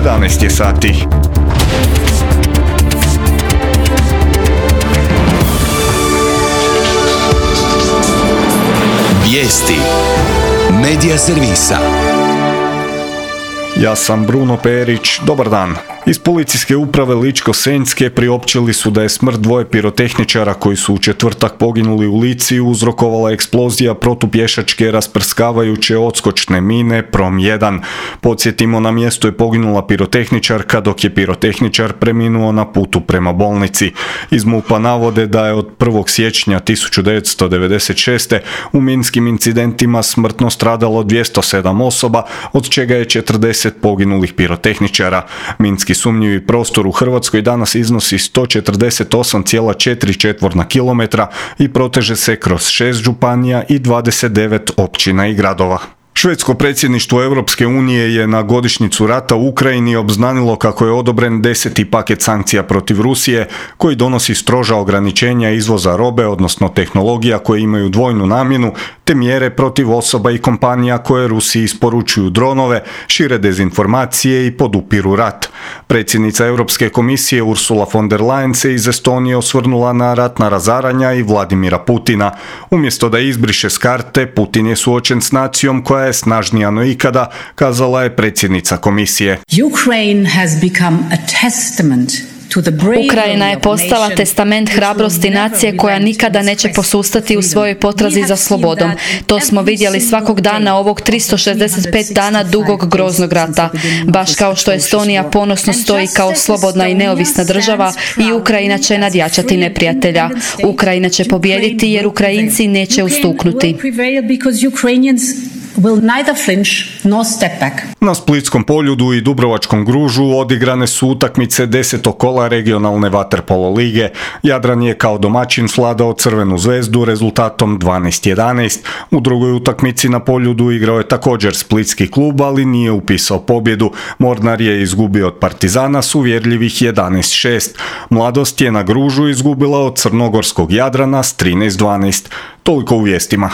11 je sati. Vijesti Medija servisa. Ja sam Bruno Perić, dobar dan. Iz policijske uprave Ličko-senjske priopćili su da je smrt dvoje pirotehničara koji su u četvrtak poginuli u Lici uzrokovala eksplozija protupješačke rasprskavajuće odskočne mine Prom 1. Podsjetimo, na mjestu je poginula pirotehničarka dok je pirotehničar preminuo na putu prema bolnici. Iz MUP-a navode da je od 1. siječnja 1996. u minskim incidentima smrtno stradalo 207 osoba, od čega je 40 poginulih pirotehničara. Minski sumnjivi prostor u Hrvatskoj danas iznosi 148,4 četvorna kilometra i proteže se kroz 6 županija i 29 općina i gradova. Švedsko predsjedništvo Europske unije je na godišnjicu rata u Ukrajini obznanilo kako je odobren 10. paket sankcija protiv Rusije, koji donosi stroža ograničenja izvoza robe, odnosno tehnologija koje imaju dvojnu namjenu, te mjere protiv osoba i kompanija koje Rusiji isporučuju dronove, šire dezinformacije i podupiru rat. Predsjednica Europske komisije Ursula von der Leyen se iz Estonije osvrnula na ratna razaranja i Vladimira Putina. Umjesto da izbriše s karte, Putin je suočen s nacijom koja je snažnija no ikada, kazala je predsjednica komisije. Ukrajina je postala testament hrabrosti nacije koja nikada neće posustati u svojoj potrazi za slobodom. To smo vidjeli svakog dana ovog 365 dana dugog groznog rata. Baš kao što Estonija ponosno stoji kao slobodna i neovisna država, i Ukrajina će nadjačati neprijatelja. Ukrajina će pobijediti jer Ukrajinci neće ustuknuti. Na Splitskom Poljudu i Dubrovačkom Gružu odigrane su utakmice 10. kola regionalne vaterpolo lige. Jadran je kao domaćin svladao Crvenu zvezdu rezultatom 12-11. U drugoj utakmici na Poljudu igrao je također splitski klub, ali nije upisao pobjedu. Mornar je izgubio od Partizana s uvjerljivih 11-6. Mladost je na Gružu izgubila od crnogorskog Jadrana s 13-12. Toliko u vijestima.